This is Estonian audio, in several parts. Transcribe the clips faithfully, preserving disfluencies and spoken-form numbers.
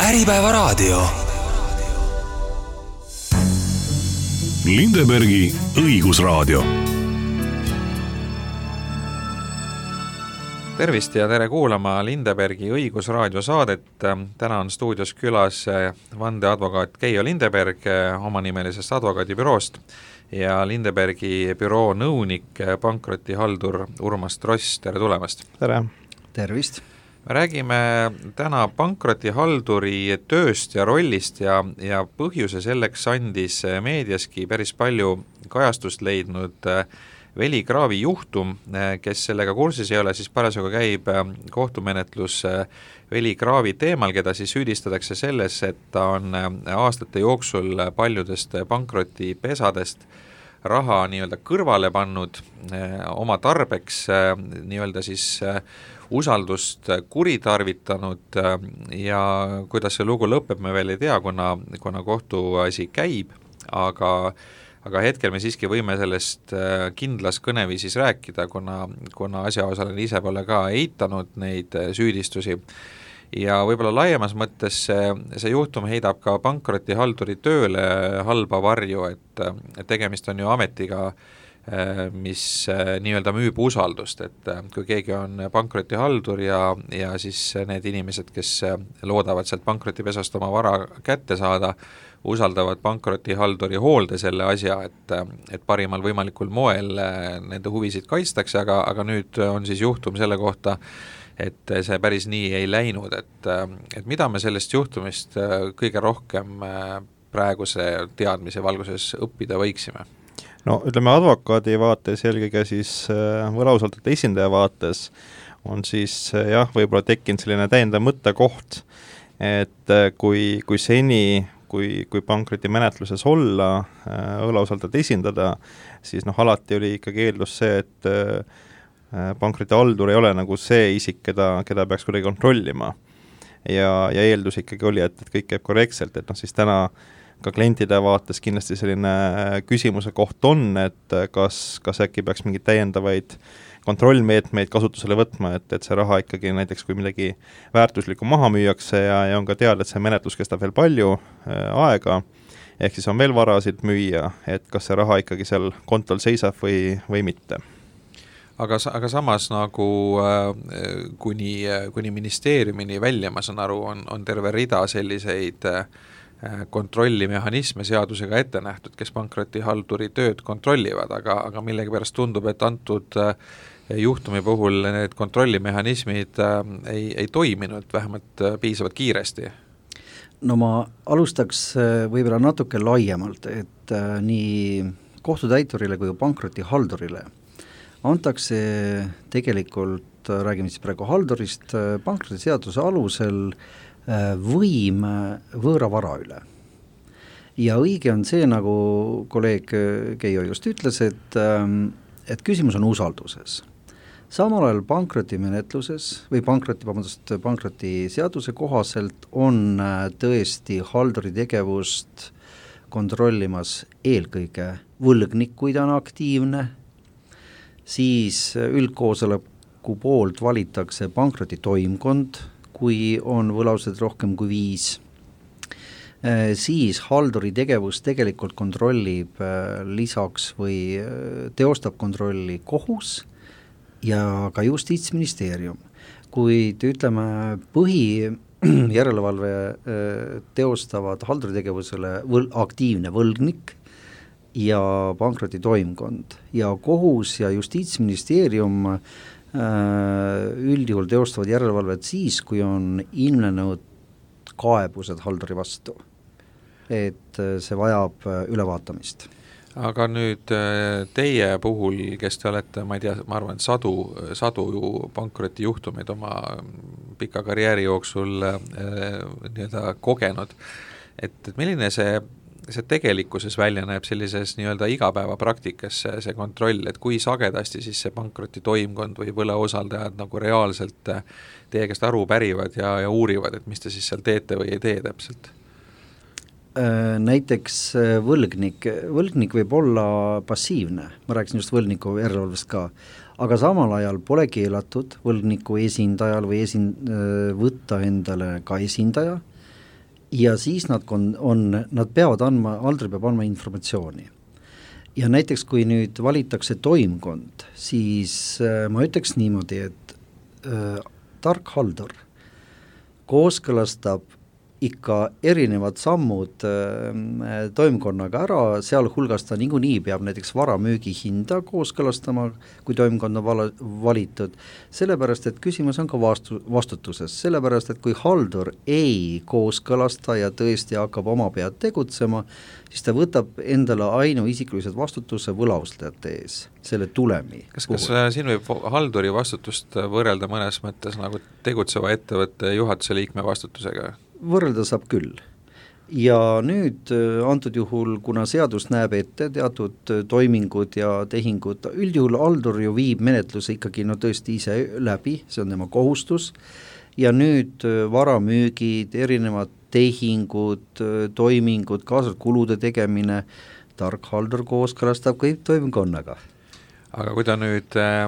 Äripäevaraadio. Lindebergi õigusraadio. Tervist ja tere kuulama Lindebergi õigusraadio saadet. Täna on stuudios külas vandeadvokaat Keijo Lindeberg omanimelisest advokaadibüroost ja Lindebergi büroo nõunik, pankrotihaldur Urmas Tross. Tere tulemast! Tere! Tervist! Me räägime täna pankrotihalduri tööst ja rollist ja, ja põhjuse selleks andis meediaski päris palju kajastust leidnud Veli Kraavi juhtum. Kes sellega kursis ei ole, siis parasjagu käib kohtumenetlus Veli Kraavi teemal, keda siis süüdistatakse selles, et ta on aastate jooksul paljudest pankrotipesadest raha nii-öelda kõrvale pannud oma tarbeks, nii-öelda siis usaldust kuritarvitanud ja kuidas see lugu lõpeb, me veel ei tea, kuna, kuna kohtuasi käib, aga, aga hetkel me siiski võime sellest kindlas kõneviisis rääkida, kuna, kuna asjaosaline ise pole ka eitanud neid süüdistusi. Ja võib-olla laiemas mõttes see, see juhtum heidab ka pankrotihalduri tööle halba varju, et, et tegemist on ju ametiga, mis nii-öelda müüb usaldust, et kui keegi on pankrotihaldur ja, ja siis need inimesed, kes loodavad sealt pankrotipesast oma vara kätte saada, usaldavad pankrotihalduri hoolde selle asja, et, et parimal võimalikul moel nende huvisid kaitstakse, aga, aga nüüd on siis juhtum selle kohta, et see päris nii ei läinud, et, et mida me sellest juhtumist kõige rohkem praeguse teadmise valguses õppida võiksime? No ütleme advokaadi vaates, eelkõige siis võlausaldajate esindaja vaates on siis jah, võib-olla tekkinud selline täiendav mõttekoht, et kui, kui seni, kui, kui pankroti menetluses olla, võlausaldajat esindada, siis noh, alati oli ikkagi eeldus see, et pankroti-haldur ei ole nagu see isik, keda, keda peaks kuidagi kontrollima. Ja, ja eeldus ikkagi oli, et, et kõik käib korrektselt, et noh, siis täna ka klientide vaates kindlasti selline küsimuse koht on, et kas, kas äkki peaks mingeid täiendavaid kontrollmeetmeid kasutusele võtma, et, et see raha ikkagi näiteks, kui midagi väärtuslikku maha müüakse ja, ja on ka teada, et see menetlus kestab veel palju äh, aega, ehk siis on veel varasid müüa, et kas see raha ikkagi seal kontol seisab või, või mitte. Aga, aga samas nagu äh, kuni, kuni ministeeriumini välja, ma saan aru, on, on terve rida selliseid äh, kontrollimehhanisme seadusega ette nähtud, kes pankrotihalduri tööd kontrollivad, aga, aga millegi pärast tundub, et antud juhtumi puhul need kontrollimehhanismid ei, ei toiminud vähemalt piisavalt kiiresti. No ma alustaks võib-olla natuke laiemalt, et nii kohtutäiturile kui pankrotihaldurile antakse tegelikult, räägime siis praegu haldurist, pankrotiseaduse alusel võim võõra vara üle. Ja õige on see, nagu kolleeg Keijo just ütles, et, et küsimus on usalduses. Samal ajal pankrotimenetluses või pankroti, vabandust, pankrotiseaduse kohaselt on tõesti halduri tegevust kontrollimas eelkõige võlgnik, kui ta on aktiivne, siis üldkoosoleku poolt valitakse pankrotitoimkond, kui on võlaused rohkem kui viis, siis halduri tegevus tegelikult kontrollib lisaks või teostab kontrolli kohus ja ka justiitsministeerium. Kuid ütleme, põhi järelevalve teostavad halduri tegevusele võl- aktiivne võlgnik ja pankrotitoimkond ja kohus ja justiitsministeerium üldjuhul teostavad järelevalvet siis, kui on ilmnenud kaebused halduri vastu, et see vajab ülevaatamist. Aga nüüd teie puhul, kes te olete, ma ei tea, ma arvan, sadu, sadu ju pankrotijuhtumeid oma pika karjääri jooksul nii-öelda kogenud, et, et milline see see tegelikkuses välja näeb sellises nii-öelda igapäevapraktikas see, see kontroll, et kui sagedasti siis see pankrotitoimkond või võlausaldajad nagu reaalselt teie käest aru pärivad ja, ja uurivad, et mis te siis seal teete või ei tee täpselt? Näiteks võlgnik, võlgnik võib olla passiivne, ma rääkisin just võlgniku järelevalvest ka, aga samal ajal pole keelatud võlgniku esindajal või esin-, võtta endale ka esindaja, ja siis nad on, on, nad peavad andma, halduri peab andma informatsiooni. Ja näiteks kui nüüd valitakse toimkond, siis äh, ma ütleks niimoodi, et äh, tark haldur kooskõlastab ikka erinevad sammud äh, toimkonnaga ära, sealhulgas ta niikuinii peab näiteks varamüügi hinda kooskõlastama, kui toimkond on vala, valitud, sellepärast et küsimus on ka vastu, vastutuses, sellepärast et kui haldur ei kooskõlasta ja tõesti hakkab oma pead tegutsema, siis ta võtab endale ainuisikulised vastutuse võlaustajate ees, selle tulemi. Kas, kas siin võib halduri vastutust võrrelda mõnes mõttes nagu tegutseva ettevõtte juhatuse liikme vastutusega? Võrrelda saab küll. Ja nüüd antud juhul, kuna seadus näeb ette teatud toimingud ja tehingud, üldjuhul haldur ju viib menetluse ikkagi no tõesti ise läbi, see on tema kohustus, ja nüüd varamüügid, erinevad tehingud, toimingud, kaasalt kulude tegemine, tark haldur kooskõlastab kõik toimkonnaga. Aga kui ta nüüd äh,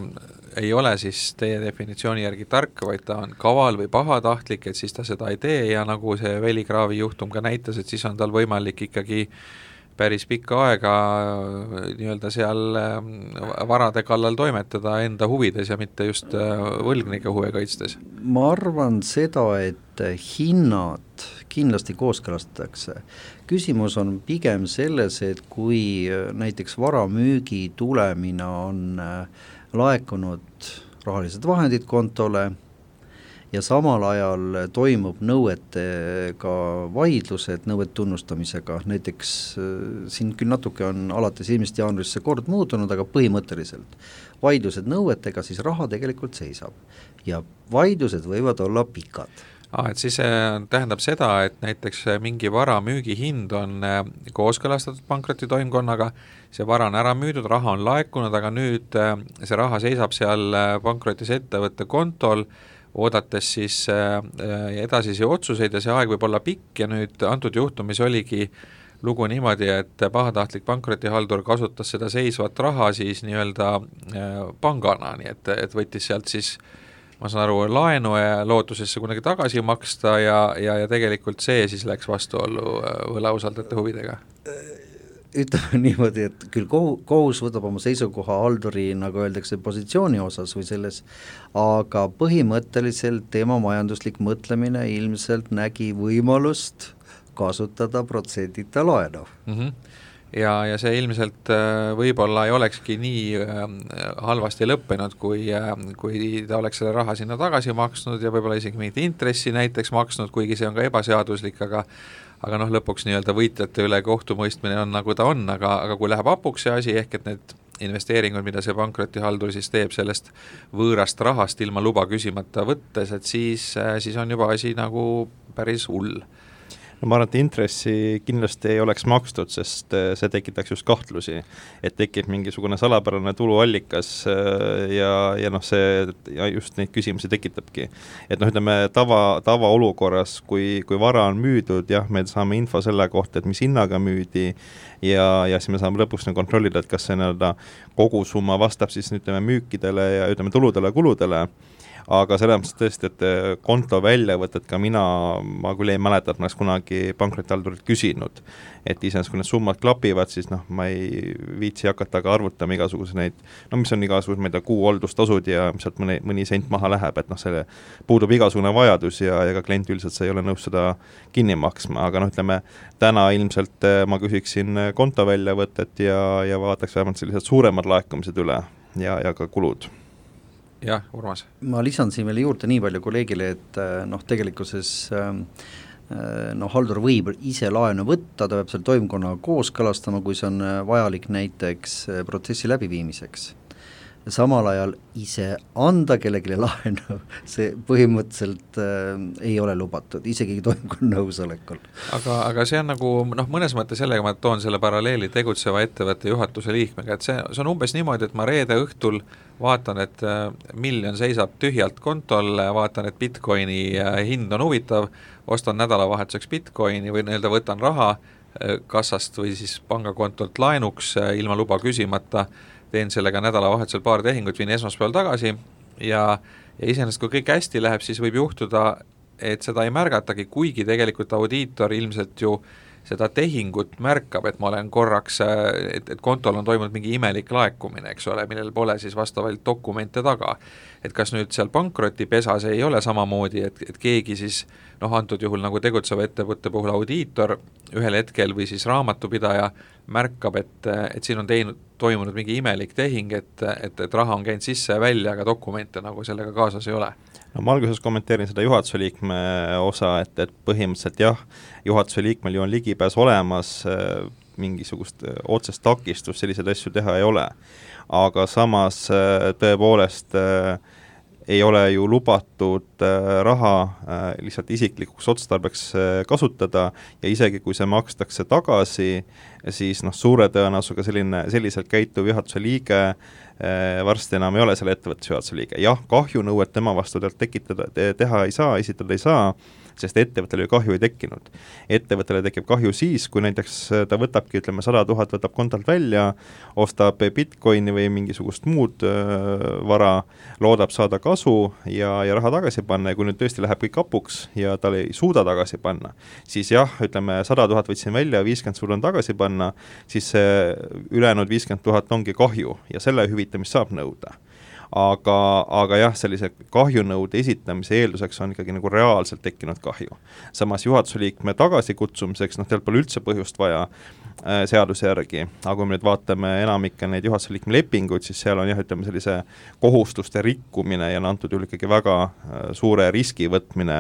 ei ole siis teie definitsiooni järgi tark, vaid ta on kaval või pahatahtlik, et siis ta seda ei tee ja nagu see Veligraavi juhtum ka näitas, et siis on tal võimalik ikkagi päris pikka aega nii-öelda seal varade kallal toimetada enda huvides ja mitte just võlgnike huve kaitstes. Ma arvan seda, et hinnad kindlasti kooskõlastatakse. Küsimus on pigem selles, et kui näiteks varamüügi tulemina on laekunud rahalised vahendid kontole ja samal ajal toimub nõuetega vaidlused, nõuet tunnustamisega, näiteks siin küll natuke on alates eelmisest jaanuarist see kord muutunud, aga põhimõtteliselt vaidlused nõuetega, siis raha tegelikult seisab ja vaidlused võivad olla pikad. Ah, et siis tähendab seda, et näiteks mingi vara müügihind on kooskõlastatud pankrotitoimkonnaga, see vara on ära müüdud, raha on laekunud, aga nüüd see raha seisab seal pankrotis ettevõtte kontol, oodates siis edasisi otsuseid ja see aeg võib olla pikk ja nüüd antud juhtumis oligi lugu niimoodi, et pahatahtlik pankrotihaldur kasutas seda seisvat raha siis nii-öelda pangana, nii et, et võttis sealt siis ma saan aru, laenu ja lootusesse kunagi tagasi maksta ja, ja, ja tegelikult see siis läks vastuollu võlausaldajate huvidega? Ütleme niimoodi, et küll kohus võtab oma seisukoha halduri, nagu öeldakse, positsiooni osas või selles, aga põhimõtteliselt tema majanduslik mõtlemine ilmselt nägi võimalust kasutada protsendita laenu. Mhm. Ja, ja see ilmselt võib-olla ei olekski nii halvasti lõppenud, kui, kui ta oleks selle raha sinna tagasi maksnud ja võib-olla isegi mingit intressi näiteks maksnud, kuigi see on ka ebaseaduslik, aga aga noh, lõpuks nii-öelda võitjate üle kohtumõistmine on nagu ta on, aga, aga kui läheb hapuks see asi, ehk et need investeeringud, mida see pankrotihaldur siis teeb sellest võõrast rahast ilma luba küsimata võttes, et siis, siis on juba asi nagu päris hull. No ma arvan, et intressi kindlasti ei oleks makstud, sest see tekitaks just kahtlusi, et tekib mingisugune salapärane tuluallikas ja, ja noh, see ja just neid küsimusi tekitabki. Et noh, ütleme tava, tava olukorras, kui, kui vara on müüdud, jah, me saame info selle kohta, et mis hinnaga müüdi ja, ja siis me saame lõpuks kontrollida, et kas see nii-öelda kogusumma vastab siis ütleme müükidele ja ütleme tuludele, kuludele. Aga selles mõttes tõesti, et konto väljavõtet ka mina, ma küll ei mäleta, et ma oleks kunagi pankrotihaldurit küsinud, et iseenesest kui need summad klapivad, siis noh, ma ei viitsi hakata ka arvutama igasuguse neid, no mis on igasugused, ma ei tea, kuu hooldustasud ja sealt mõni, mõni sent maha läheb, et noh, selle puudub igasugune vajadus ja, ja ka klient üldiselt see ei ole nõus seda kinni maksma, aga noh, ütleme, täna ilmselt ma küsiksin konto väljavõtet ja, ja vaataks vähemalt sellised suuremad laekumised üle ja, ja ka kulud. Jah, Urmas. Ma lisan siin veel juurde nii palju kolleegile, et noh, tegelikkuses noh, haldur võib ise laenu võtta, ta peab seal toimkonnaga kooskõlastama, kui see on vajalik näiteks protsessi läbiviimiseks. Samal ajal ise anda kellelegi laenu, see põhimõtteliselt äh, ei ole lubatud, isegi toimkonna nõusolekul. Aga, aga see on nagu, noh, mõnes mõttes sellega ma toon selle paralleeli tegutseva ettevõtte juhatuse liikmega, et see, see on umbes niimoodi, et ma reede õhtul vaatan, et miljon seisab tühjalt kontol, vaatan, et Bitcoini hind on huvitav, ostan nädalavahetuseks Bitcoini või nii-öelda võtan raha kassast või siis pangakontolt laenuks ilma luba küsimata, teen sellega nädalavahetusel paar tehingut, viin esmaspäeval tagasi ja, ja iseenesest kui kõik hästi läheb, siis võib juhtuda et seda ei märgatagi, kuigi tegelikult audiitor ilmselt ju seda tehingut märkab, et ma olen korraks, et, et kontol on toimunud mingi imelik laekumine, eks ole, millel pole siis vastavalt dokumente taga. Et kas nüüd seal pankrotipesas ei ole samamoodi, et, et keegi siis, noh antud juhul nagu tegutseva ettevõtte puhul audiitor ühel hetkel või siis raamatupidaja märkab, et, et siin on teinud, toimunud mingi imelik tehing, et, et, et raha on käinud sisse ja välja, aga dokumente nagu sellega kaasas ei ole. No ma alguses kommenteerin seda juhatuse liikme osa, et, et põhimõtteliselt jah, juhatuse liikmel ju on ligipääs olemas, mingisugust otsest takistust selliseid asju teha ei ole. Aga samas tõepoolest ei ole ju lubatud raha lihtsalt isiklikuks otstarbeks kasutada ja isegi kui see makstakse tagasi, siis noh, suure tõenäosusega selline, selliselt käituv juhatuse liige varsti enam ei ole selle ettevõtte juhatuse liige. Jah, kahjunõuet tema vastu tekitada, teha ei saa, esitada ei saa, sest ettevõttele ju kahju ei tekkinud. Ettevõttele tekib kahju siis, kui näiteks ta võtabki, ütleme, sada tuhat võtab kontalt välja, ostab bitcoini või mingisugust muud äh, vara, loodab saada kasu ja, ja raha tagasi panna ja kui nüüd tõesti läheb kõik kapuks ja tal ei suuda tagasi panna, siis jah, ütleme, sada tuhat võtsin välja, viiskümmend sul on tagasi panna, siis see ülejäänud viiskümmend tuhat ongi kahju ja selle hüvitamist saab nõuda. Aga, aga jah, sellise kahjunõude esitamise eelduseks on ikkagi nagu reaalselt tekkinud kahju. Samas juhatuse liikme tagasikutsumiseks, noh, teil pole üldse põhjust vaja äh, seaduse järgi, aga kui me nüüd vaatame enamikke neid juhatuse liikme lepinguid, siis seal on jah, ütleme sellise kohustuste rikkumine ja antud juhul ikkagi väga äh, suure riski võtmine,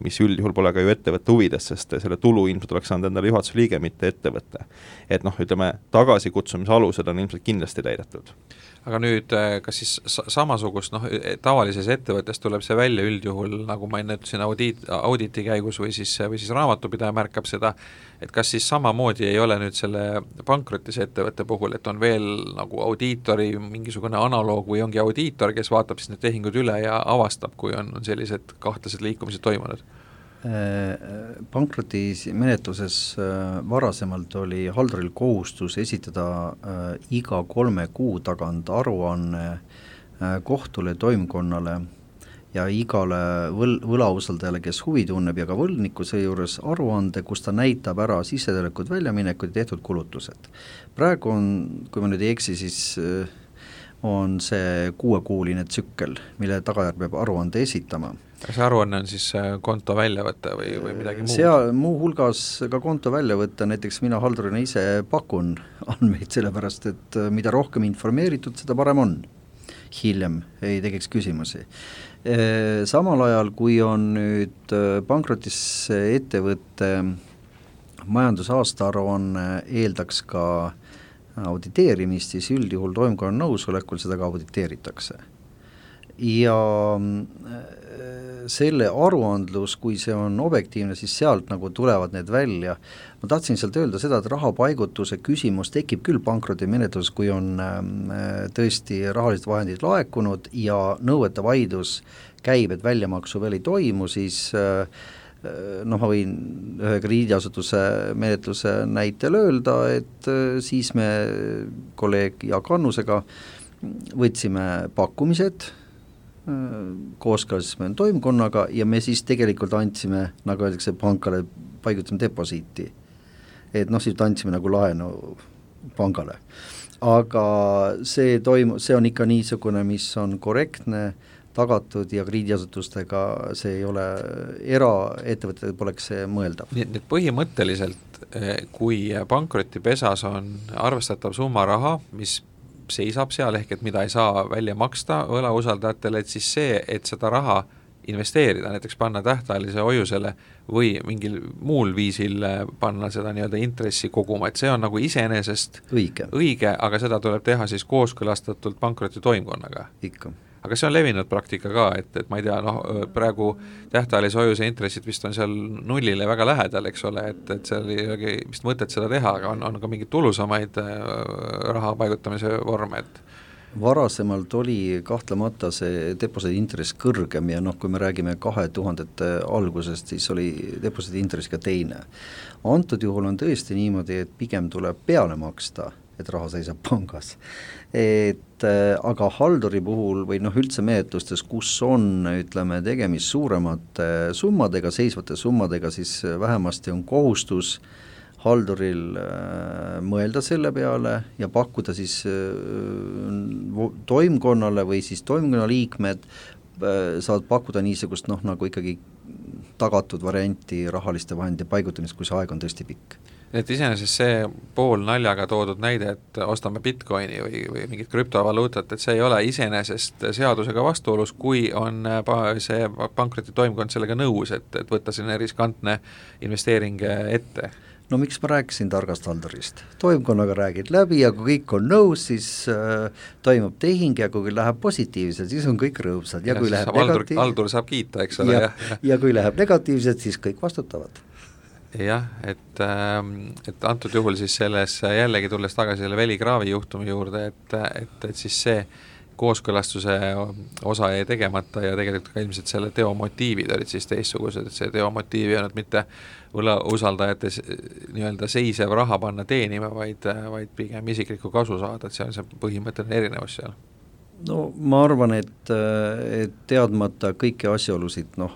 mis üldjuhul pole ka ju ettevõtte huvides, sest selle tulu ilmselt oleks saanud endale juhatuse liige, mitte ettevõtte. Et noh, ütleme, tagasikutsumise alused on ilmselt kindlasti täidetud. Aga nüüd, kas siis samasugust, noh, tavalises ettevõttes tuleb see välja üldjuhul, nagu ma enne ütlesin, audiit, auditi käigus või siis, või siis raamatupidaja märkab seda, et kas siis samamoodi ei ole nüüd selle pankrotis ettevõtte puhul, et on veel nagu audiitori mingisugune analoog või ongi audiitor, kes vaatab siis need tehingud üle ja avastab, kui on, on sellised kahtlased liikumised toimunud? Pankrotis menetluses varasemalt oli halduril kohustus esitada iga kolme kuu tagant aruanne kohtule, toimkonnale ja igale võl, võlausaldajale, kes huvi tunneb ja ka võlniku seejuures aruande, kus ta näitab ära sissetulekud, väljaminekud ja tehtud kulutused. Praegu on, kui ma nüüd ei eksi, siis on see kuuekuuline tsükkel, mille tagajärg peab aruande esitama. See aruanne on siis konto väljavõtte või, või midagi muud? Seal muu hulgas ka konto väljavõtte, näiteks mina haldurina ise pakun andmeid, sellepärast et mida rohkem informeeritud, seda parem on. Hiljem ei tekiks küsimusi. Samal ajal, kui on nüüd pankrotis ettevõtte majandusaasta aruanne eeldaks ka auditeerimist, siis üldjuhul toimkonna nõusolekul seda ka auditeeritakse. Ja selle aruandlus, kui see on objektiivne, siis sealt nagu tulevad need välja. Ma tahtsin sealt öelda seda, et rahapaigutuse küsimus tekib küll pankroti menetluses, kui on tõesti rahalised vahendid laekunud ja nõuete vaidlus käib, et väljamaksu veel ei toimu, siis noh, ma võin ühe krediidiasutuse menetluse näitel öelda, et siis me kolleeg Jaak Annusega võtsime pakkumised, kooskõlastasime toimkonnaga ja me siis tegelikult andsime, nagu öeldakse, pankale paigutasime deposiiti. Et noh, siis andsime nagu laenu pangale. Aga see toimu, see on ikka niisugune, mis on korrektne, tagatud ja krediidiasutustega see ei ole, eraettevõtted poleks see mõeldav. Nii et põhimõtteliselt, kui pankrotipesas on arvestatav summa raha, mis seisab seal ehk, et mida ei saa välja maksta võlausaldajatele, et siis see, et seda raha investeerida, näiteks panna tähtajalise hoiusele või mingil muul viisil panna seda nii-öelda intressi koguma, et see on nagu iseenesest õige, õige, aga seda tuleb teha siis kooskõlastatult pankroti toimkonnaga. Ikka. Aga see on levinud praktika ka, et, et ma ei tea, noh, praegu tähtajalise hoiuse intressid vist on seal nullile väga lähedal, eks ole, et, et seal ei ole vist mõtet seda teha, aga on, on ka mingeid tulusamaid raha paigutamise vorme, et varasemalt oli kahtlemata see deposiidi intress kõrgem ja noh, kui me räägime kahe tuhandete algusest, siis oli deposiidi intress ka teine. Antud juhul on tõesti niimoodi, et pigem tuleb peale maksta et raha seisab pangas. Et aga halduri puhul või noh, üldse menetlustes, kus on, ütleme, tegemist suuremate summadega, seisvate summadega, siis vähemasti on kohustus halduril mõelda selle peale ja pakkuda siis toimkonnale või siis toimkonna liikmed saavad pakkuda niisugust noh, nagu ikkagi tagatud varianti rahaliste vahendite paigutamist, kui see aeg on tõesti pikk. Et iseenesest see pool naljaga toodud näide, et ostame bitcoini või, või mingit krüptovaluutat, et see ei ole iseenesest seadusega vastuolus, kui on see pankroti toimkond sellega nõus, et, et võtta selline riskantne investeering ette. No miks ma rääkisin targast haldurist? Toimkonnaga räägid läbi ja kui kõik on nõus, siis äh, toimub tehing ja kui läheb positiivselt, siis on kõik rõõmsad. Ja, ja kui läheb negatiivselt, haldur saab kiita, eks ole. Ja, ja. ja kui läheb negatiivselt, siis kõik vastutavad. Jah, et, et antud juhul siis selles jällegi tulles tagasi selle Veli Kraavi juhtumi juurde, et, et, et siis see kooskõlastuse osa jäi tegemata ja tegelikult ka ilmselt selle teo motiivid olid siis teistsugused, et see teo motiiv ei olnud mitte võla usaldajate nii-öelda seisev raha panna teenima, vaid, vaid pigem isiklikku kasu saada, et see on see põhimõtteline erinevus seal. No ma arvan, et, et teadmata kõiki asjaolusid, noh,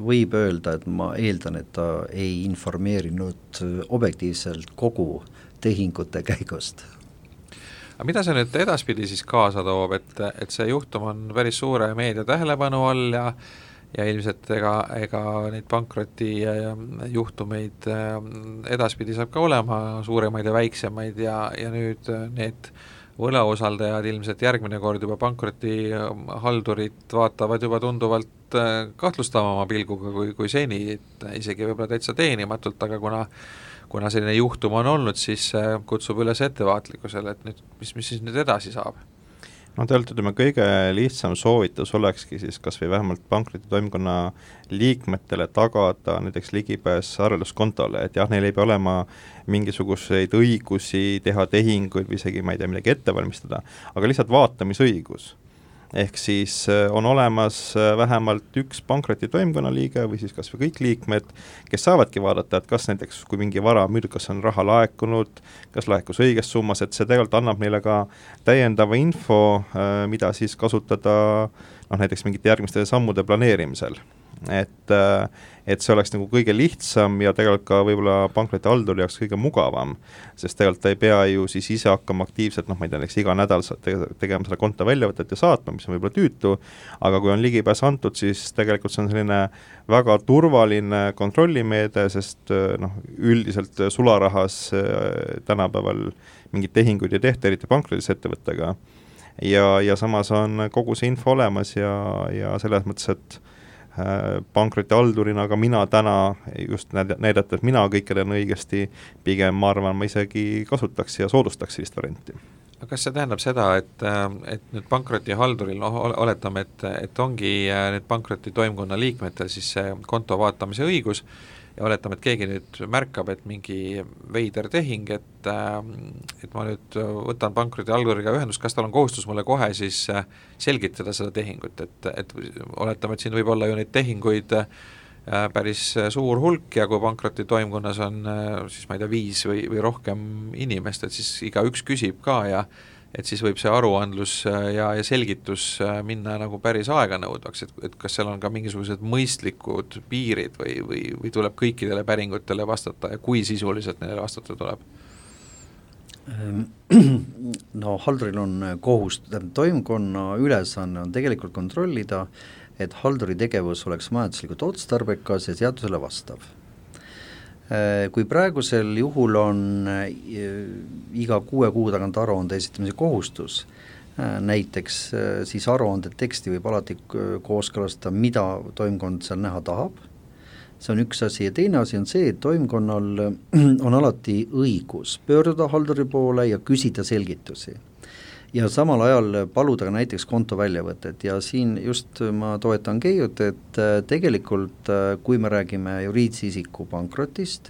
võib öelda, et ma eeldan, et ta ei informeerinud objektiivselt kogu tehingute käigust. Aga mida see nüüd edaspidi siis kaasa toob, et, et see juhtum on päris suure meedia tähelepanu all ja, ja ilmselt ega, ega neid pankroti juhtumeid edaspidi saab ka olema suuremaid ja väiksemaid ja, ja nüüd need võlausaldajad ilmselt järgmine kord juba pankroti haldurit vaatavad juba tunduvalt kahtlustavama pilguga kui, kui seni, et isegi võib-olla täitsa teenimatult, aga kuna kuna selline juhtum on olnud, siis kutsub üles ettevaatlikkusele, et nüüd, mis, mis siis nüüd edasi saab? No tegelikult ütleme, kõige lihtsam soovitus olekski siis kas või vähemalt pankroti toimkonna liikmetele tagada näiteks ligipääs arvelduskontole, et jah, neil ei pea olema mingisuguseid õigusi teha tehinguid või isegi, ma ei tea, midagi ette valmistada, aga lihtsalt vaatamisõigus. Ehk siis on olemas vähemalt üks pankroti toimkonna liige või siis kas või kõik liikmed, kes saavadki vaadata, et kas näiteks kui mingi vara müüd, kas on raha laekunud, kas laekus õiges summas, et see tegelikult annab neile ka täiendava info, mida siis kasutada noh, näiteks mingite järgmiste sammude planeerimisel. Et, et see oleks nagu kõige lihtsam ja tegelikult ka võib-olla pankroti halduri jaoks kõige mugavam, sest tegelikult ta ei pea ju siis ise hakkama aktiivselt, noh ma ei tea, iga nädal tegema selle konto väljavõtet ja saatma, mis on võib-olla tüütu, aga kui on ligipääs antud, siis tegelikult see on selline väga turvaline kontrollimeede, sest noh, üldiselt sularahas tänapäeval mingid tehinguid ei tehta, eriti pankrotis ettevõttega ja, ja samas on kogu see info olemas ja, ja selles mõttes, et pankroti haldurina, aga mina täna just näidata, et mina kõik olen õigesti, pigem ma arvan, ma isegi kasutaks ja soodustaks sellist varianti. Aga kas see tähendab seda, et, et nüüd pankroti halduril, noh, oletame, et, et ongi nüüd pankroti toimkonna liikmetel siis see konto vaatamise õigus ja oletame, et keegi nüüd märkab, et mingi veider tehing, et, et ma nüüd võtan pankroti halduriga ühendust, kas tal on kohustus mulle kohe siis selgitada seda tehingut, et, et oletame, et siin võib olla ju neid tehinguid päris suur hulk ja kui pankroti toimkonnas on siis ma ei tea viis või, või rohkem inimest, et siis iga üks küsib ka ja et siis võib see aruandlus ja, ja selgitus minna nagu päris aeganõudvaks, et, et kas seal on ka mingisugused mõistlikud piirid või, või, või tuleb kõikidele päringutele vastata ja kui sisuliselt neile vastata tuleb? No halduril on kohust, toimkonna ülesanne on tegelikult kontrollida, et halduri tegevus oleks majanduslikult otstarbekas ja seadusele vastav. Kui praegusel juhul on iga kuue kuu tagant aruande esitamise kohustus, näiteks siis aruande teksti võib alati kooskõlastada, mida toimkond seal näha tahab, see on üks asi ja teine asi on see, et toimkonnal on alati õigus pöörduda halduri poole ja küsida selgitusi. Ja samal ajal paluda ka näiteks konto väljavõtet ja siin just ma toetan Keiut, et tegelikult kui me räägime juriidilise isiku pankrotist,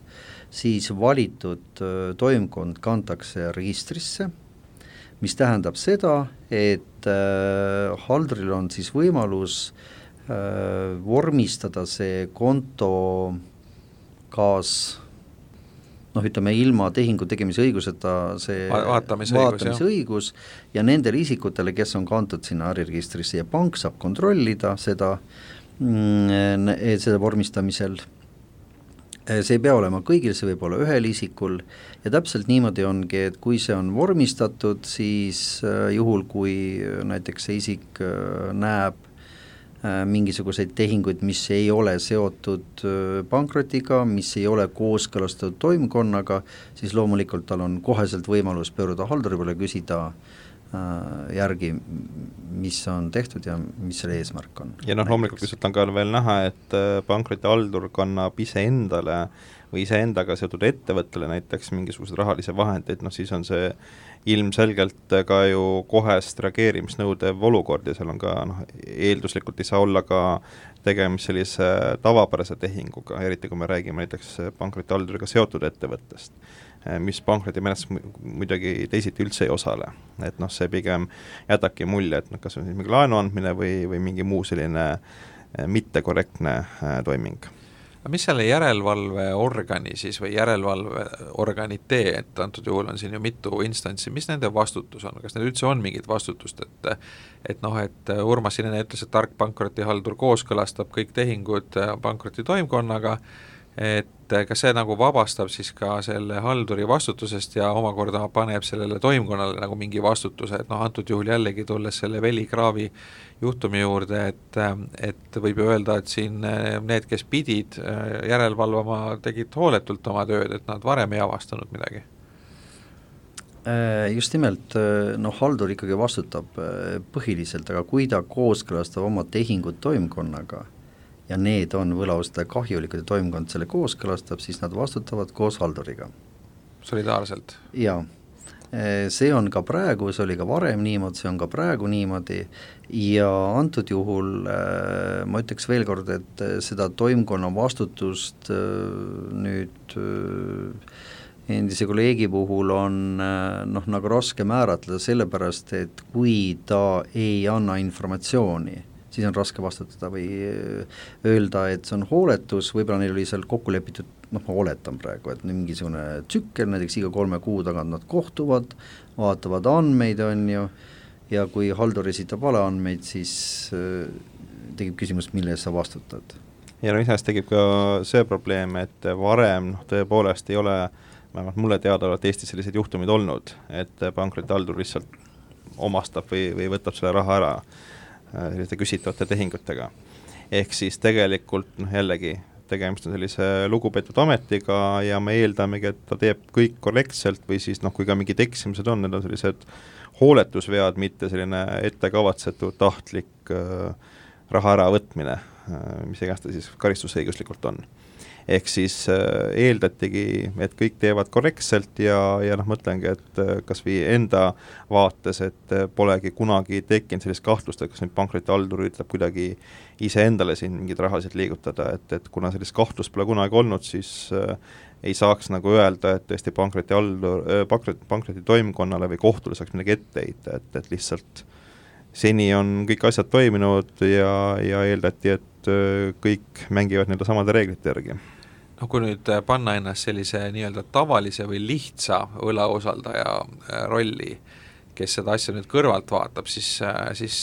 siis valitud toimkond kantakse registrisse, mis tähendab seda, et halduril on siis võimalus vormistada see konto kaas noh, ütleme ilma tehingu tegemise õiguseta see Va vaatamise, vaatamise õigus, õigus ja nendele isikutele, kes on kantud sinna äriregistrisse ja pank saab kontrollida seda, seda vormistamisel. See ei pea olema kõigil, see võib olla ühel isikul ja täpselt niimoodi ongi, et kui see on vormistatud, siis juhul, kui näiteks see isik näeb mingisuguseid tehinguid, mis ei ole seotud pankrotiga, mis ei ole kooskõlastatud toimkonnaga, siis loomulikult tal on koheselt võimalus pööruda halduri peale, küsida järgi, mis on tehtud ja mis selle eesmärk on. Ja noh, loomulikult lihtsalt on ka veel näha, et pankroti haldur kannab ise endale või ise endaga seotud ettevõttele näiteks mingisugused rahalise vahendeid, noh siis on see ilmselgelt ka ju kohest reageerimisnõudev olukord ja seal on ka noh, eelduslikult ei saa olla ka tegemist sellise tavapärase tehinguga, eriti kui me räägime näiteks pankroti halduriga seotud ettevõttest, mis pankroti menetlus muidugi teisiti üldse ei osale. Et noh, see pigem jätabki mulje, et noh, kas on mingi laenu andmine või, või mingi muu selline mittekorrektne toiming. Mis selle järelevalveorgani siis või järelevalveorganid tee, et antud juhul on siin ju mitu instantsi, mis nende vastutus on, kas neil üldse on mingit vastutust, et et noh, et Urmas Sinene ütles, et tark pankrotihaldur kooskõlastab kõik tehingud pankroti toimkonnaga, et kas see nagu vabastab siis ka selle halduri vastutusest ja omakorda paneb sellele toimkonnale nagu mingi vastutuse, et noh, antud juhul jällegi tulles selle Veli Kraavi juhtumi juurde, et, et võib ju öelda, et siin need, kes pidid järelevalvama, tegid hooletult oma tööd, et nad varem ei avastanud midagi. Just nimelt, noh, haldur ikkagi vastutab põhiliselt, aga kui ta kooskõlastab oma tehingud toimkonnaga ja need on võlaustaja kahjulikud ja toimkond selle kooskõlastab, siis nad vastutavad koos halduriga. Solidaarselt? Jaa. See on ka praegu, see oli ka varem niimoodi, see on ka praegu niimoodi ja antud juhul ma ütleks veel kord, et seda toimkonna vastutust nüüd endise kolleegi puhul on noh, nagu raske määratleda sellepärast, et kui ta ei anna informatsiooni, siis on raske vastutada või öelda, et see on hooletus, võib-olla neil oli seal kokku lepitud, noh ma oletan praegu, et mingisugune tsükkel, näiteks iga kolme kuu tagant nad kohtuvad, vaatavad andmeid, on ju, ja kui haldur esitab vale andmeid, siis tekib küsimus, mille eest sa vastutad. Ja no isest tekib ka see probleem, et varem noh, tõepoolest ei ole, vähemalt mulle teada oled Eestis sellised juhtumid olnud, et pankroti haldur lihtsalt omastab või, või võtab selle raha ära selliste küsitavate tehingutega. Ehk siis tegelikult noh, jällegi tegemist on sellise lugupeetud ametiga ja me eeldamegi, et ta teeb kõik korrektselt või siis noh, kui ka mingid eksimused on, need on sellised hooletusvead, mitte selline ettekavatsetud tahtlik äh, raha äravõtmine, äh, mis iganes ta siis karistusõiguslikult on. Ehk siis äh, eeldatigi, et kõik teevad korrektselt ja, ja noh, mõtlengi, et äh, kas või enda vaates, et äh, polegi kunagi tekkinud sellist kahtlust, et kas nüüd pankroti haldur ütleb kuidagi ise endale siin mingid rahasid liigutada, et, et kuna sellist kahtlust pole kunagi olnud, siis äh, ei saaks nagu öelda, et tõesti pankroti haldur, äh, pankroti, pankroti toimkonnale või kohtule saaks midagi ette heita, et, et lihtsalt seni on kõik asjad toiminud ja, ja eeldati, et äh, kõik mängivad nii-öelda samade reeglite järgi. No kui nüüd panna ennast sellise nii-öelda tavalise või lihtsa võlausaldaja rolli, kes seda asja nüüd kõrvalt vaatab, siis, siis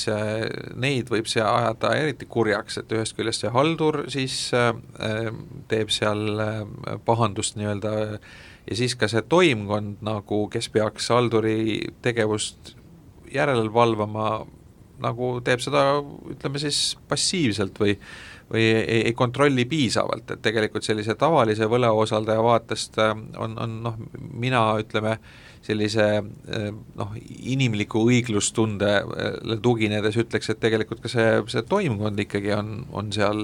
neid võib see ajada eriti kurjaks, et ühest küljest see haldur siis teeb seal pahandust nii-öelda ja siis ka see toimkond, nagu kes peaks halduri tegevust järelevalvama, nagu teeb seda, ütleme siis passiivselt või või ei, ei kontrolli piisavalt, et tegelikult sellise tavalise võlausaldaja vaatest on, on noh, mina ütleme sellise noh, inimliku õiglustunde tuginedes ütleks, et tegelikult ka see, see toimkond ikkagi on, on seal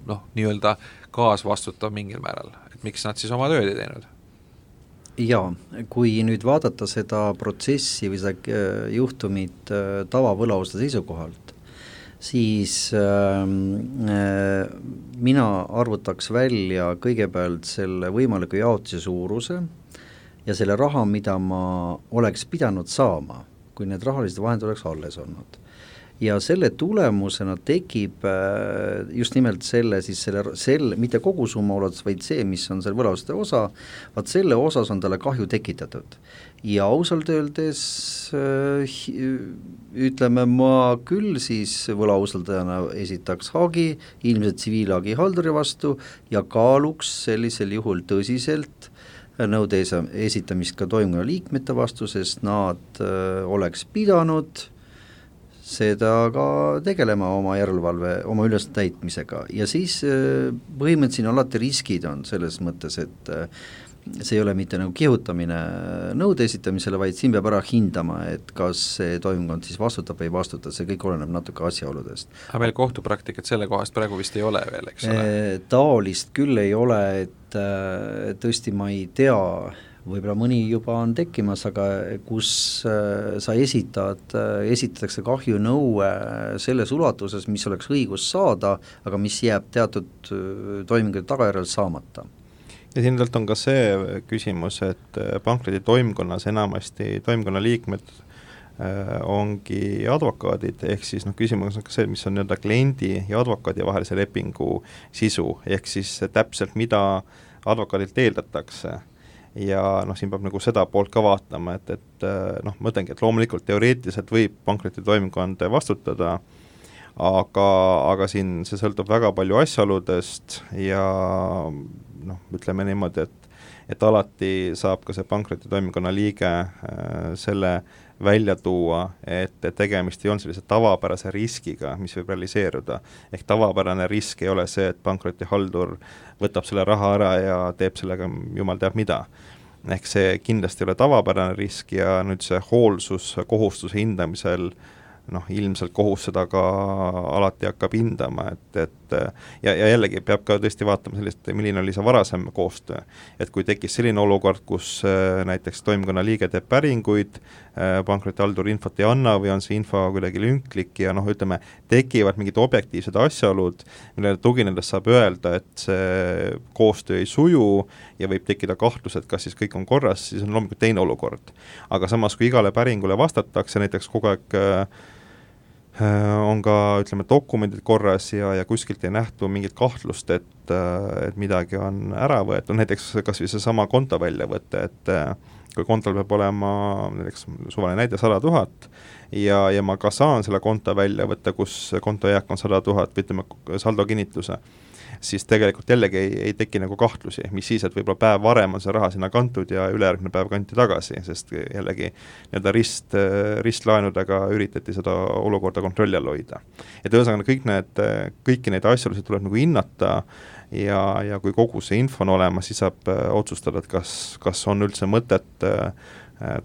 noh, nii-öelda kaasvastutav mingil määral, et miks nad siis oma tööd ei teinud? Jaa, kui nüüd vaadata seda protsessi või seda juhtumit tavavõlausaldaja seisukohalt, siis äh, mina arvutaks välja kõigepealt selle võimaliku jaotuse suuruse ja selle raha, mida ma oleks pidanud saama, kui need rahalised vahendid oleks alles olnud. ja selle tulemusena tekib just nimelt selle, siis selle, selle mitte kogu summa ulatus, vaid see, mis on selle võlausaldajate osa, vaat selle osas on talle kahju tekitatud. Ja ausalt öeldes ütleme, ma küll siis võlausaldajana esitaks hagi, ilmselt tsiviilhagi halduri vastu ja kaaluks sellisel juhul tõsiselt nõude esitamist ka toimkonna liikmete vastu, sest nad öö, oleks pidanud seda ka tegelema oma järelevalve, oma üles täitmisega ja siis öö, põhimõtteliselt siin alati riskid on selles mõttes, et öö, see ei ole mitte nagu kihutamine nõude esitamisele, vaid siin peab ära hindama, et kas see toimkond siis vastutab või ei vastuta, see kõik oleneb natuke asjaoludest. Aga meil kohtupraktikat selle kohast praegu vist ei ole veel, eks ole? Taolist küll ei ole, et tõesti ma ei tea, võib-olla mõni juba on tekkimas, aga kus sa esitad, esitatakse kahjunõue selles ulatuses, mis oleks õigus saada, aga mis jääb teatud toimingute tagajärjel saamata. Ja siin on ka see küsimus, et pankroti toimkonnas enamasti toimkonna liikmed äh, ongi advokaadid, ehk siis noh, küsimus on ka see, mis on nii-öelda kliendi ja advokaadi vahelise lepingu sisu, ehk siis täpselt mida advokaadilt eeldatakse. Ja noh, siin peab nagu seda poolt ka vaatama, et, et noh, ma mõtlengi, et loomulikult teoreetiliselt võib pankroti toimkond vastutada, aga, aga siin see sõltub väga palju asjaoludest ja noh, ütleme niimoodi, et, et alati saab ka see pankroti toimkonna liige äh, selle välja tuua, et tegemist ei ole sellise tavapärase riskiga, mis võib realiseeruda. Ehk tavapärane risk ei ole see, et pankroti haldur võtab selle raha ära ja teeb sellega jumal teab mida. Ehk see kindlasti ei ole tavapärane risk ja nüüd see hoolsus kohustuse hindamisel noh, ilmselt kohus seda ka alati hakkab hindama, et, et ja, ja jällegi peab ka tõesti vaatama sellist, milline oli see varasem koostöö. Et kui tekkis selline olukord, kus näiteks toimkonna liige teeb päringuid, pankrotihaldur infot ei anna või on see info kuidagi lünklik ja noh, ütleme, tekivad mingid objektiivsed asjaolud, millele tuginedes saab öelda, et see koostöö ei suju ja võib tekkida kahtlus, et kas siis kõik on korras, siis on loomulikult teine olukord. Aga samas, kui igale päringule vastatakse, näiteks kogu aeg on ka, ütleme, dokumendid korras ja, ja kuskilt ei nähtu mingit kahtlust, et, et midagi on ära võetud, näiteks kas või see sama konto väljavõte, et kui kontol peab olema näiteks suvaline näide sada tuhat ja, ja ma ka saan selle konto välja võtta, kus konto jääk on sada tuhat, või ütleme saldo kinnituse, siis tegelikult jällegi ei, ei teki nagu kahtlusi, mis siis, et võib-olla päev varem on see raha sinna kantud ja ülejärgmine päev kanti tagasi, sest jällegi nii-öelda rist, ristlaenudega üritati seda olukorda kontrolli all hoida. Et ühesõnaga kõik need, kõiki neid asjaolusid tuleb nagu hinnata ja, ja kui kogu see info on olemas, siis saab otsustada, et kas, kas on üldse mõtet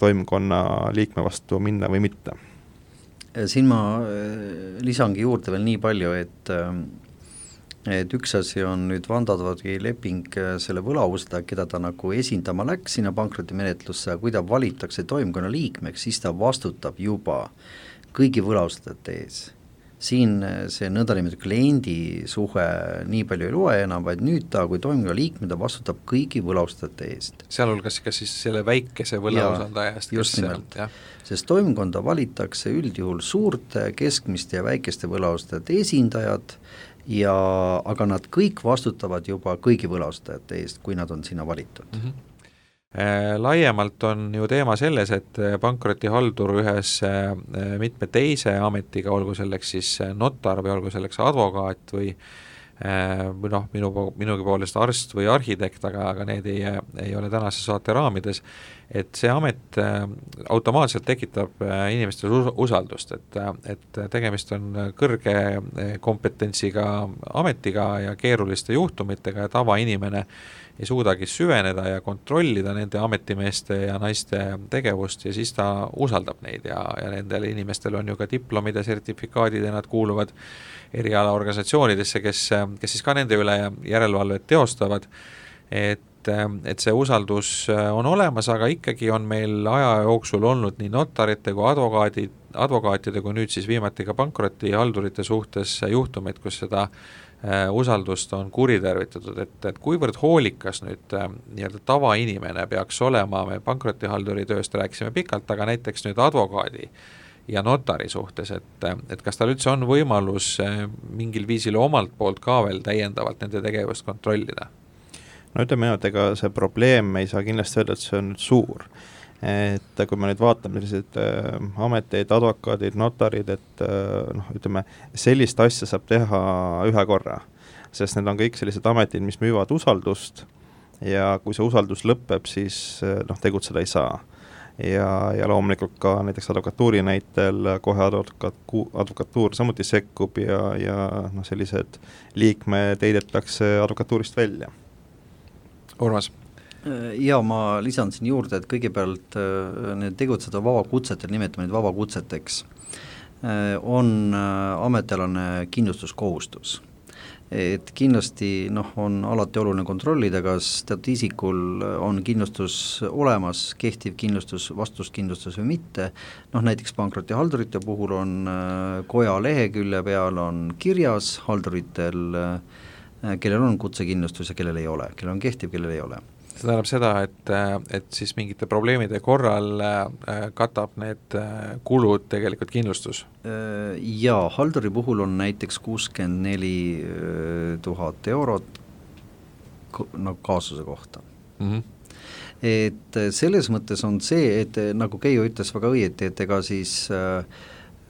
toimkonna liikme vastu minna või mitte. Siin ma lisangi juurde veel nii palju, et et üks asi on nüüd vandadvadki leping selle võlaustaldaja, keda ta nagu esindama läks sinna pankrotimenetlusse, kui ta valitakse toimkonna liikmeks, siis ta vastutab juba kõigi võlausaldajate ees. Siin see nõndanimetatud kliendi suhe nii palju ei loe enam, vaid nüüd ta, kui toimkonna liikme, ta vastutab kõigi võlausaldajate eest. Sealhulgas ka siis selle väikese võlausaldaja eest, just nimelt, sest toimkonda valitakse üldjuhul suurte, keskmiste ja väikeste võlausaldajate esindajad, ja aga nad kõik vastutavad juba kõigi võlaustajate eest, kui nad on sinna valitud. Mm-hmm. Laiemalt on ju teema selles, et pankrotihaldur ühes mitme teise ametiga, olgu selleks siis notar või olgu selleks advokaat või või noh, minu, minugi poolest arst või arhitekt, aga, aga need ei, ei ole tänase saate raamides, et see amet automaatselt tekitab inimestel usaldust, et, et tegemist on kõrge kompetentsiga ametiga ja keeruliste juhtumitega ja tavainimene ei suudagi süveneda ja kontrollida nende ametimeeste ja naiste tegevust ja siis ta usaldab neid ja, ja nendel inimestel on ju ka diplomid ja sertifikaadid ja nad kuuluvad erialaorganisatsioonidesse, kes, kes siis ka nende üle järelevalvet teostavad, et, et see usaldus on olemas, aga ikkagi on meil aja jooksul olnud nii notarite kui advokaadid, advokaatide kui nüüd siis viimati ka pankrotihaldurite suhtes juhtumeid, kus seda usaldust on kuritervitatud, et, et kuivõrd hoolikas nüüd nii-öelda tavainimene peaks olema, me pankrotihalduri tööst rääkisime pikalt, aga näiteks nüüd advokaadi ja notari suhtes, et, et kas tal üldse on võimalus mingil viisil omalt poolt ka veel täiendavalt nende tegevust kontrollida? No ütleme, et ega see probleem ei saa kindlasti öelda, et see on nüüd suur. Et kui me nüüd vaatame sellised äh, ameteid, advokaadid, notarid, et äh, noh, ütleme, sellist asja saab teha ühe korra, sest need on kõik sellised ametid, mis müüvad usaldust ja kui see usaldus lõpeb, siis äh, noh, tegutseda ei saa. Ja, ja loomulikult ka näiteks advokatuuri näitel kohe advokatu, advokatuur samuti sekkub ja, ja noh, sellised liikmed heidetakse advokatuurist välja. Urmas? Ja ma lisan siin juurde, et kõigepealt need tegutseda vabakutsetel, nimetame neid vabakutseteks, on ametialane kindlustuskohustus. Et kindlasti noh, on alati oluline kontrollida, kas teatud isikul on kindlustus olemas, kehtiv kindlustus, vastuskindlustus või mitte. Noh, näiteks pankrotihaldurite puhul on koja lehekülje peal on kirjas halduritel, kellel on kutsekindlustus ja kellel ei ole, kellel on kehtiv, kellel ei ole. See tähendab seda, et, et siis mingite probleemide korral katab need kulud tegelikult kindlustus? Jaa, halduri puhul on näiteks kuuskümmend neli tuhat eurot no, kaasuse kohta. Mm-hmm. Et selles mõttes on see, et nagu Keijo ütles väga õieti, et ega siis äh,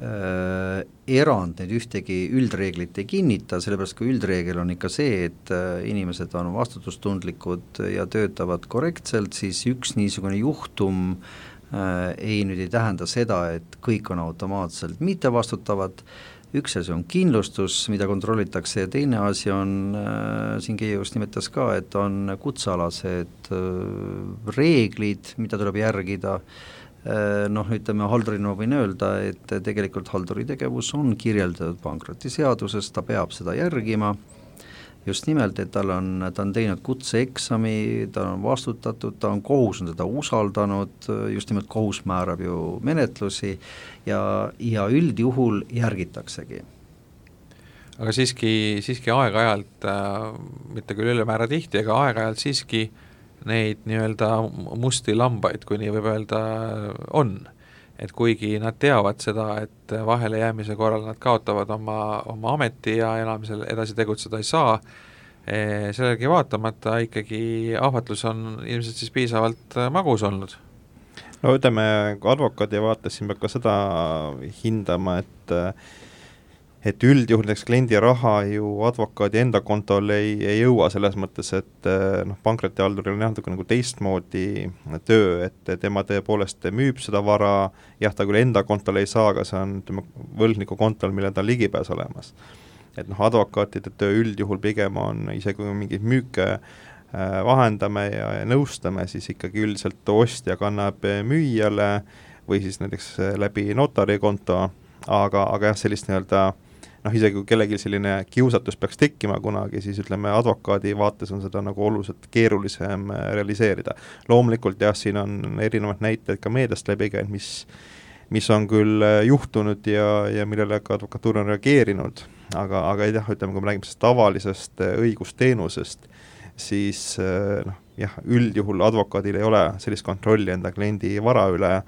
Äh, erand neid ühtegi üldreeglit ei kinnita, sellepärast kui üldreegel on ikka see, et äh, inimesed on vastutustundlikud ja töötavad korrektselt, siis üks niisugune juhtum äh, ei nüüd ei tähenda seda, et kõik on automaatselt mitte vastutavad. Üks asi on kindlustus, mida kontrollitakse ja teine asi on, äh, siin Keijo just nimetas ka, et on kutsealased äh, reeglid, mida tuleb järgida. Noh, ütleme haldurina võin öelda, et tegelikult halduri tegevus on kirjeldatud pankrotiseaduses, ta peab seda järgima, just nimelt, et tal on, ta on teinud kutseeksami, ta on vastutatud, ta on kohus on teda usaldanud, just nimelt kohus määrab ju menetlusi ja, ja üldjuhul järgitaksegi. Aga siiski, siiski aeg-ajalt, äh, mitte küll ülemäära tihti, aga aeg-ajalt siiski neid nii-öelda musti lambaid, kui nii võib öelda, on. Et kuigi nad teavad seda, et vahele jäämise korral nad kaotavad oma, oma ameti ja enam selle edasi tegutseda ei saa, sellegi vaatamata ikkagi ahvatlus on ilmselt siis piisavalt magus olnud. No ütleme, advokaadi vaates siin peab ka seda hindama, et et üldjuhul näiteks kliendi raha ju advokaadi enda kontol ei, ei jõua selles mõttes, et noh, pankrotihalduril on jah nagu teistmoodi töö, et tema tõepoolest müüb seda vara, jah, ta küll enda kontol ei saa, aga see on ütleme, võlgniku kontol, mille ta on ligipääs olemas. Et noh, advokaatide töö üldjuhul pigem on, isegi kui mingid müüke vahendame ja, ja nõustame, siis ikkagi üldiselt ostja kannab müüjale või siis näiteks läbi notari konto, aga, aga jah, sellist nii-öelda noh, isegi kui kellelgi selline kiusatus peaks tekkima kunagi, siis ütleme advokaadi vaates on seda nagu oluliselt keerulisem realiseerida. Loomulikult jah, siin on erinevad näited ka meediast läbi käinud, mis, mis on küll juhtunud ja, ja millele ka advokatuur on reageerinud, aga, aga jah, ütleme, kui me räägime tavalisest õigusteenusest, siis noh, jah, üldjuhul advokaadil ei ole sellist kontrolli enda kliendi vara üle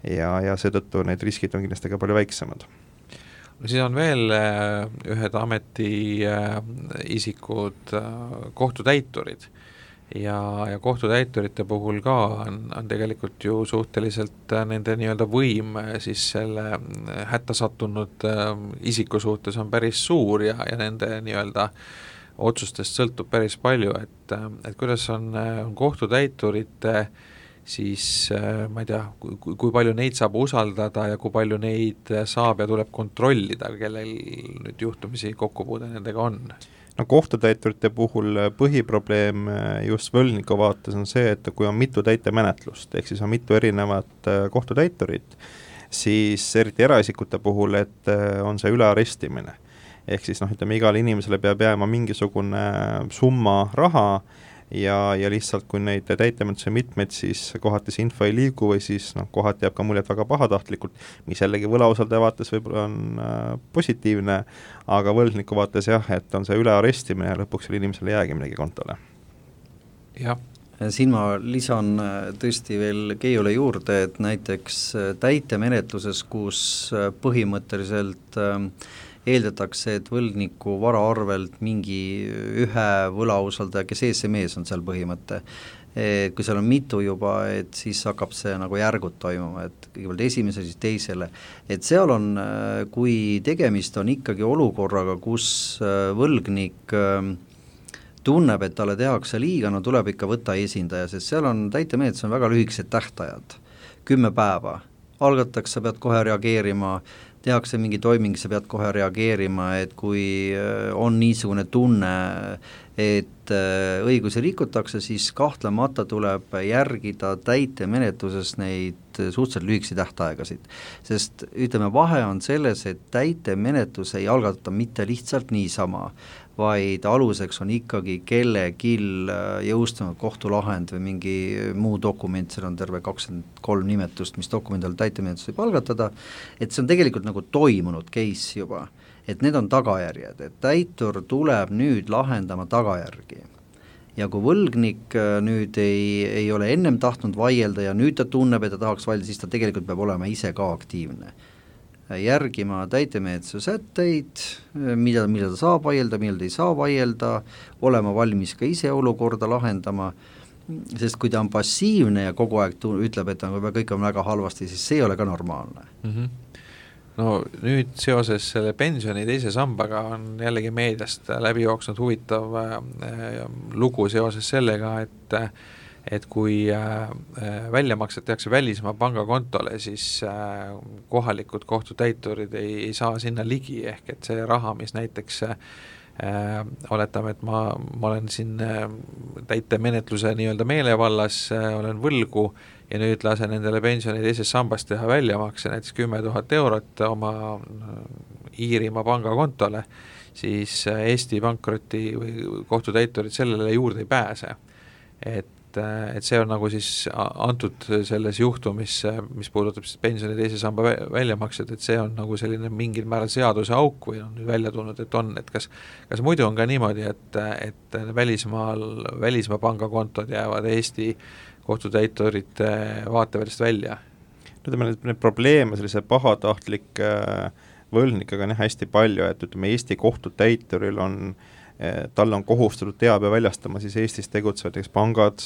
ja, ja seetõttu need riskid on kindlasti ka palju väiksemad. No siis on veel ühed ameti isikud, kohtutäiturid ja, ja kohtutäiturite puhul ka on, on tegelikult ju suhteliselt nende nii-öelda võim siis selle hätta sattunud isiku suhtes on päris suur ja, ja nende nii-öelda otsustest sõltub päris palju, et, et kuidas on, on kohtutäiturite siis ma ei tea, kui, kui palju neid saab usaldada ja kui palju neid saab ja tuleb kontrollida, kellel nüüd juhtumisi kokkupuude nendega on? No kohtutäiturite puhul põhiprobleem just võlgniku vaates on see, et kui on mitu täitemenetlust, ehk siis on mitu erinevat kohtutäiturit, siis eriti eraisikute puhul, et on see ülearestimine. Ehk siis noh, ütleme, igale inimesele peab jääma mingisugune summa raha, ja, ja lihtsalt kui neid täitemenetluse mitmeid, siis kohati see info ei liigu või siis noh, kohati jääb ka muljet väga pahatahtlikult, mis jällegi võlausaldaja vaates võib-olla on äh, positiivne, aga võlgniku vaates jah, et on see ülearestimine ja lõpuks selle inimesele jäägi midagi kontole. Jah, siin ma lisan tõesti veel Keiule juurde, et näiteks täitemenetluses, kus põhimõtteliselt eeldatakse, et võlgniku vara arvelt mingi ühe võlausaldaja, kes ees see mees on seal põhimõte, et kui seal on mitu juba, et siis hakkab see nagu järgud toimuma, et kõigepealt esimese, siis teisele, et seal on, kui tegemist on ikkagi olukorraga, kus võlgnik tunneb, et talle tehakse liiga, no tuleb ikka võtta esindaja, sest seal on täitemenetlus on väga lühikesed tähtajad, kümme päeva, algatakse, sa pead kohe reageerima, tehakse mingi toiming, sa pead kohe reageerima, et kui on niisugune tunne, et õigusi rikutakse, siis kahtlemata tuleb järgida täitemenetluses neid suhteliselt lühikesi tähtaegasid. Sest ütleme, vahe on selles, et täitemenetlus ei algata mitte lihtsalt niisama, vaid aluseks on ikkagi kellegil jõustunud kohtulahend või mingi muu dokument, seal on terve kakskümmend kolm nimetust, mis dokumendil täitemenetlus võib algatada, et see on tegelikult nagu toimunud case juba, et need on tagajärjed, et täitur tuleb nüüd lahendama tagajärgi. Ja kui võlgnik nüüd ei, ei ole ennem tahtnud vaielda ja nüüd ta tunneb, et ta tahaks vaielda, siis ta tegelikult peab olema ise ka aktiivne. Järgima täitemenetluse sätteid, mida, mida ta saab vaielda, millal ta ei saa vaielda, olema valmis ka ise olukorda lahendama, sest kui ta on passiivne ja kogu aeg tu- ütleb, et kõik on väga halvasti, siis see ei ole ka normaalne. Mm-hmm. No nüüd seoses selle pensioni teise sambaga on jällegi meediast läbi jooksnud huvitav äh, lugu seoses sellega, et et kui äh, väljamaksed tehakse välismaa pangakontole, siis äh, kohalikud kohtutäiturid ei, ei saa sinna ligi, ehk et see raha, mis näiteks äh, oletame, et ma, ma olen siin äh, täitemenetluse nii-öelda meelevallas, äh, olen võlgu ja nüüd lasen endale pensioni teises sambas teha väljamakse, näiteks kümme tuhat eurot oma Iirimaa pangakontole, siis Eesti pankroti või kohtutäiturid sellele juurde ei pääse. Et et see on nagu siis antud selles juhtumis, mis puudutab siis pensioni teise samba väljamaksed, et see on nagu selline mingil määral seaduse auk või on nüüd välja tulnud, et on, et kas, kas muidu on ka niimoodi, et, et välismaal, välismaa pangakontod jäävad Eesti kohtutäiturite vaateväljast välja? Ütleme, need probleeme sellise pahatahtlik võlgnikega on hästi palju, et ütleme, Eesti kohtutäituril on tal on kohustatud teabe väljastama siis Eestis tegutsevateks pangad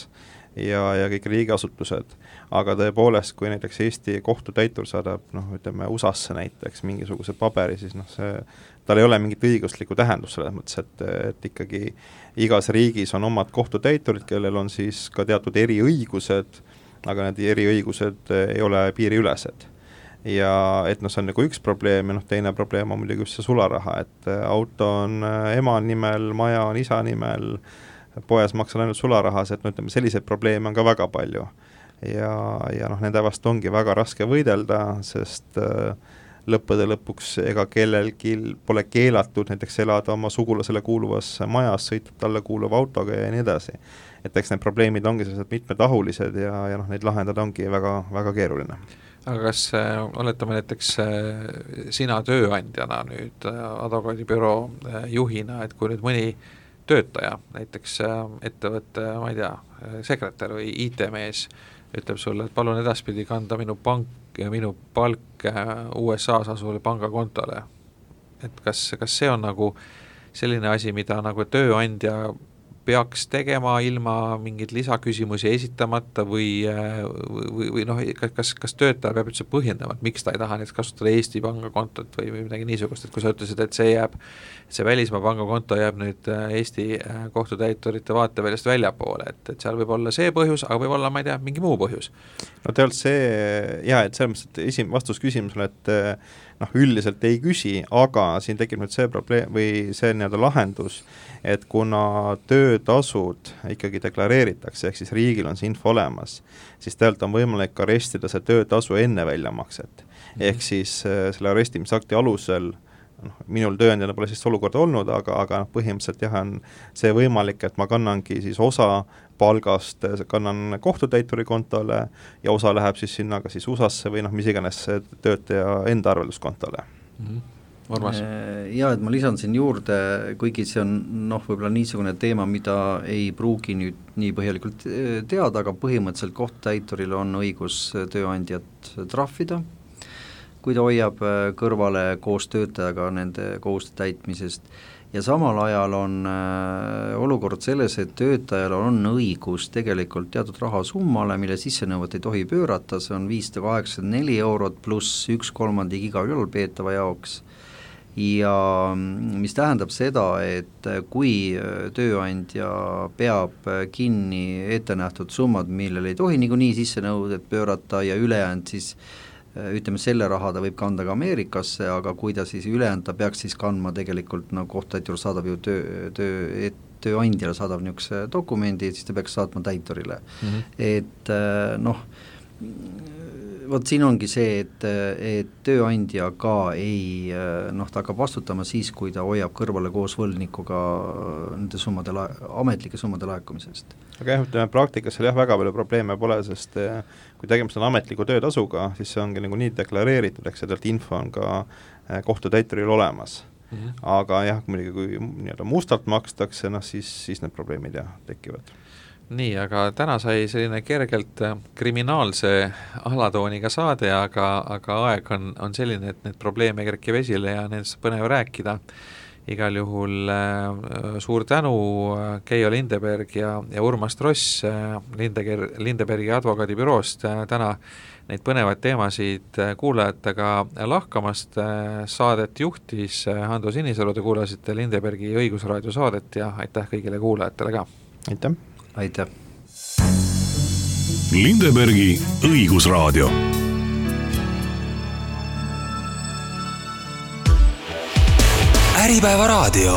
ja, ja kõik riigiasutused, aga tõepoolest, kui näiteks Eesti kohtutäitur saadab, noh, ütleme U S A-sse näiteks mingisuguse paberi, siis noh, see, tal ei ole mingit õiguslikku tähendust selles mõttes, et, et ikkagi igas riigis on omad kohtutäiturid, kellel on siis ka teatud eriõigused, aga need eriõigused ei ole piiriülesed. Ja et noh, see on nagu üks probleem ja noh, teine probleem on muidugi just see sularaha, et auto on ema nimel, maja on isa nimel, poes maksan ainult sularahas, et no ütleme, selliseid probleeme on ka väga palju. Ja, ja noh, nende vast ongi väga raske võidelda, sest äh, lõppude lõpuks ega kellelgi pole keelatud näiteks elada oma sugulasele kuuluvas majas, sõita talle kuuluva autoga ja nii edasi. Et eks need probleemid ongi sellised mitmetahulised ja, ja noh, neid lahendada ongi väga, väga keeruline. Aga kas äh, oletame näiteks äh, sina tööandjana nüüd äh, advokaadibüroo äh, juhina, et kui nüüd mõni töötaja, näiteks äh, ettevõtte, ma ei tea, sekretär või I T-mees ütleb sulle, et palun edaspidi kanda minu pank ja minu palk äh, U S A-s asuvale pangakontole. Et kas, kas see on nagu selline asi, mida nagu tööandja peaks tegema ilma mingid lisaküsimusi esitamata või, või, või noh, kas, kas töötaja peab üldse põhjendama, et miks ta ei taha näiteks kasutada Eesti pangakontot või midagi niisugust, et kui sa ütlesid, et see jääb, see välismaa pangakonto jääb nüüd Eesti kohtutäiturite vaateväljast väljapoole, et, et seal võib olla see põhjus, aga võib olla, ma ei tea, mingi muu põhjus. No tegelikult see, jah, et selles mõttes, et esim, vastus küsimusele, et noh, üldiselt ei küsi, aga siin tekib nüüd see probleem või see nii-öelda lahendus, et kuna töötasud ikkagi deklareeritakse, ehk siis riigil on see info olemas, siis tegelikult on võimalik arestida see töötasu enne väljamakset. Mm-hmm. Ehk siis selle arestimisakti alusel, noh, minul tööandjana pole siis olukorda olnud, aga, aga põhimõtteliselt jah, on see võimalik, et ma kannangi siis osa palgast, kannan kohtutäituri kontole ja osa läheb siis sinna ka siis U S A-sse või noh, mis iganes töötaja enda arvelduskontole. Mm-hmm. Urmas? Jaa, et ma lisan siin juurde, kuigi see on noh, võib-olla niisugune teema, mida ei pruugi nüüd nii põhjalikult teada, aga põhimõtteliselt kohtutäituril on õigus tööandjat trahvida, kui ta hoiab kõrvale koos töötajaga nende kohustuste täitmisest, ja samal ajal on äh, olukord selles, et töötajal on õigus tegelikult teatud rahasummale, mille sissenõuet ei tohi pöörata, see on viissada kaheksakümmend neli eurot pluss üks kolmandik iga ülalpeetava jaoks, ja mis tähendab seda, et kui tööandja peab kinni ettenähtud summad, millel ei tohi niikuinii sissenõudet pöörata ja ülejäänud siis ütleme, selle raha ta võib kanda ka Ameerikasse, aga kui ta siis ülejäänud, ta peaks siis kandma tegelikult, no kohtutäitur saadab ju töö, töö, tööandjale saadab niisuguse dokumendi, siis ta peaks saatma täiturile mm. -hmm. Et noh, vot siin ongi see, et, et tööandja ka ei, noh, ta hakkab vastutama siis, kui ta hoiab kõrvale koos võlgnikuga nende summade, ametlike summade laekumisest. aga jah, ütleme praktikas seal jah, väga palju probleeme pole, sest kui tegemist on ametliku töötasuga, siis see ongi nagu nii deklareeritud, eks sedelt info on ka kohtutäituril olemas. Mm-hmm. Aga jah, muidugi kui nii-öelda mustalt makstakse, noh siis, siis need probleemid jah, tekivad. Nii, aga täna sai selline kergelt kriminaalse alatooniga saade, aga, aga aeg on, on selline, et need probleeme kerkib esile ja nendest põnev rääkida. Igal juhul äh, suur tänu Keijo Lindeberg ja, ja Urmas Tross äh, Lindeger, Lindebergi advokaadibüroost äh, täna neid põnevaid teemasid kuulajatega lahkamast. Äh, saadet juhtis äh, Hando Sinisalu, te kuulasite Lindebergi õigusraadio saadet ja aitäh kõigile kuulajatele ka. Aitäh! Aitäh! Lindebergi õigusraadio. Äripäeva raadio.